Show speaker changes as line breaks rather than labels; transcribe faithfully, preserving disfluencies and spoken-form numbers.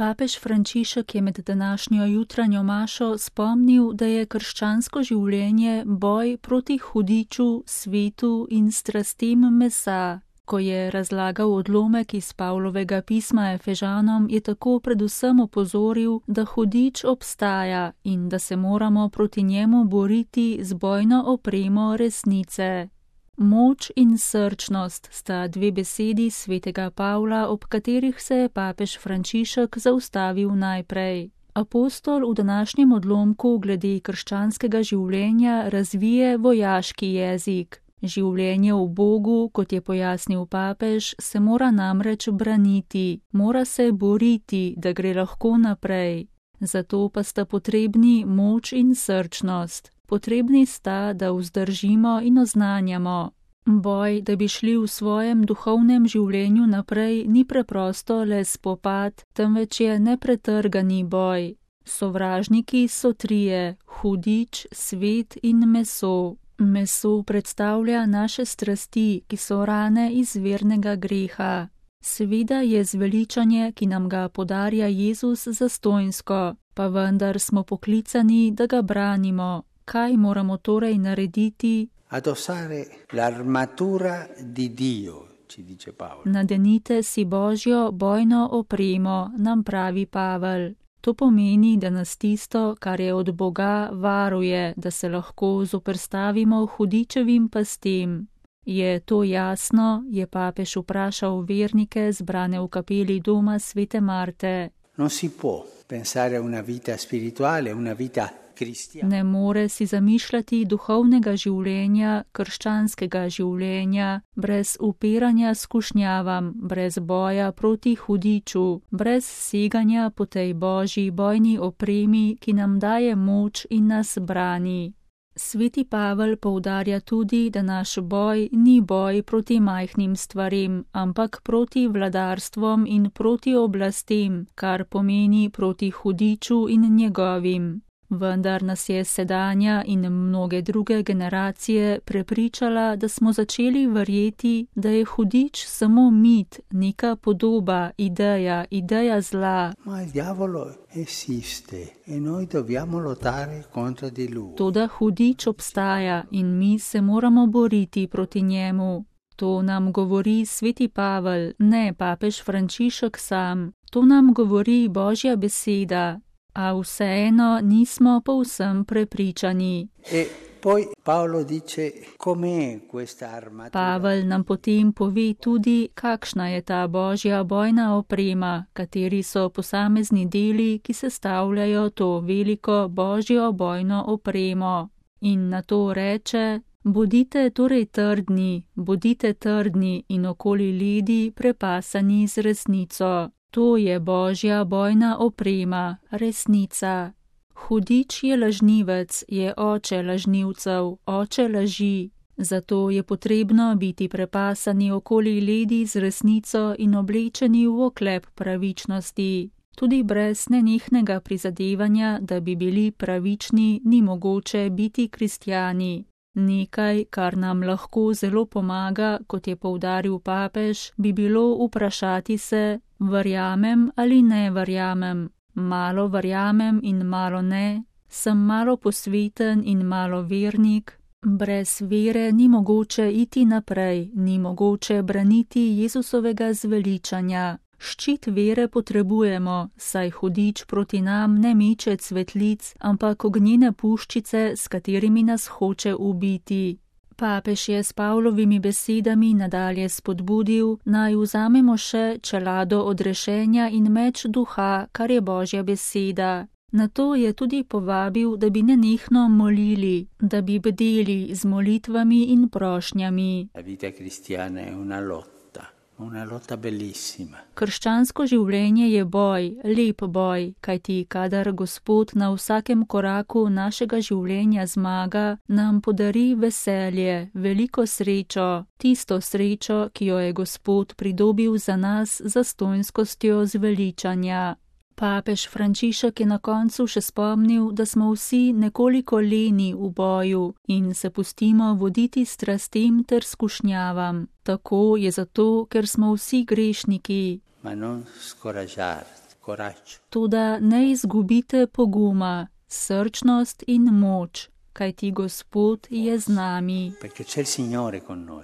Papež Frančišek je med današnjo jutranjo mašo spomnil, da je krščansko življenje boj proti hudiču, svetu in strastem mesa. Ko je razlagal odlomek iz Pavlovega pisma Efežanom, je tako predvsem opozoril, da hudič obstaja in da se moramo proti njemu boriti z bojno opremo resnice. Moč in srčnost sta dve besedi svetega Pavla, ob katerih se je papež Frančišek zaustavil najprej. Apostol v današnjem odlomku glede krščanskega življenja razvije vojaški jezik. Življenje v Bogu, kot je pojasnil papež, se mora namreč braniti, mora se boriti, da gre lahko naprej. Zato pa sta potrebni moč in srčnost. Potrebni sta, da vzdržimo in oznanjamo. Boj, da bi šli v svojem duhovnem življenju naprej, ni preprosto le spopad, temveč je nepretrgani boj. Sovražniki so trije, hudič, svet in meso. Meso predstavlja naše strasti, ki so rane izvirnega greha. Seveda je zveličanje, ki nam ga podarja Jezus, zastonjsko, pa vendar smo poklicani, da ga branimo. Kaj moramo torej narediti?
Addossare l'armatura di Dio, ci dice Paolo.
Nadenite si Božjo bojno opremo, nam pravi Pavel. To pomeni, da nas tisto, kar je od Boga, varuje, da se lahko zoperstavimo hudičevim pastem. Je to jasno, je papež vprašal vernike zbrane v kapeli doma svete Marte.
Non si può pensare a una vita spirituale, una vita cristiana.
Ne more si zamišljati duhovnega življenja, krščanskega življenja, brez upiranja skušnjavam, brez boja proti hudiču, brez seganja po tej Božji bojni opremi, ki nam daje moč in nas brani. Sveti Pavel poudarja tudi, da naš boj ni boj proti majhnim stvarem, ampak proti vladarstvom in proti oblastem, kar pomeni proti hudiču in njegovim. Vendar nas je sedanja in mnoge druge generacije prepričala, da smo začeli verjeti, da je hudič samo mit, neka podoba, ideja, ideja zla.
Ma il diavolo esiste e noi dobbiamo lottare contro di lui.
Toda hudič obstaja in mi se moramo boriti proti njemu. To nam govori sveti Pavel, ne papež Frančišek sam. To nam govori Božja beseda. A vseeno nismo povsem prepričani.
E poi Paolo dice com'è questa armatura.
Pavel nam potem pove tudi, kakšna je ta Božja bojna oprema, kateri so posamezni deli, ki sestavljajo to veliko Božjo bojno opremo. In na to reče: bodite torej trdni, bodite trdni in okoli ledi prepasani z resnico. To je Božja bojna oprema, resnica. Hudič je lažnivec, je oče lažnivcev, oče laži. Zato je potrebno biti prepasani okoli ledi z resnico in oblečeni v oklep pravičnosti. Tudi brez nenehnega prizadevanja, da bi bili pravični, ni mogoče biti kristjani. Nekaj, kar nam lahko zelo pomaga, kot je poudaril papež, bi bilo vprašati se: verjamem ali ne verjamem, malo verjamem in malo ne, sem malo posveten in malo vernik. Brez vere ni mogoče iti naprej, ni mogoče braniti Jezusovega zveličanja. Ščit vere potrebujemo, saj hudič proti nam ne meče cvetlic, ampak ognjene puščice, s katerimi nas hoče ubiti. Papež je s Pavlovimi besedami nadalje spodbudil, naj vzamemo še čelado odrešenja in meč duha, kar je Božja beseda. Na to je tudi povabil, da bi nenehno molili, da bi bdeli z molitvami in prošnjami.
La vita cristiana è una lotta. Una lotta bellissima.
Krščansko življenje je boj, lep boj, kajti kadar Gospod na vsakem koraku našega življenja zmaga, nam podari veselje, veliko srečo, tisto srečo, ki jo je Gospod pridobil za nas zastonjskostjo zveličanja. Papež Frančišek je na koncu še spomnil, da smo vsi nekoliko leni v boju in se pustimo voditi strastem ter skušnjavam. Tako je zato, ker smo vsi grešniki.
Ma non scoraggiarti, coraggio.
Toda ne izgubite poguma, srčnost in moč, kajti Gospod je z nami.
Perché c'è il Signore con noi.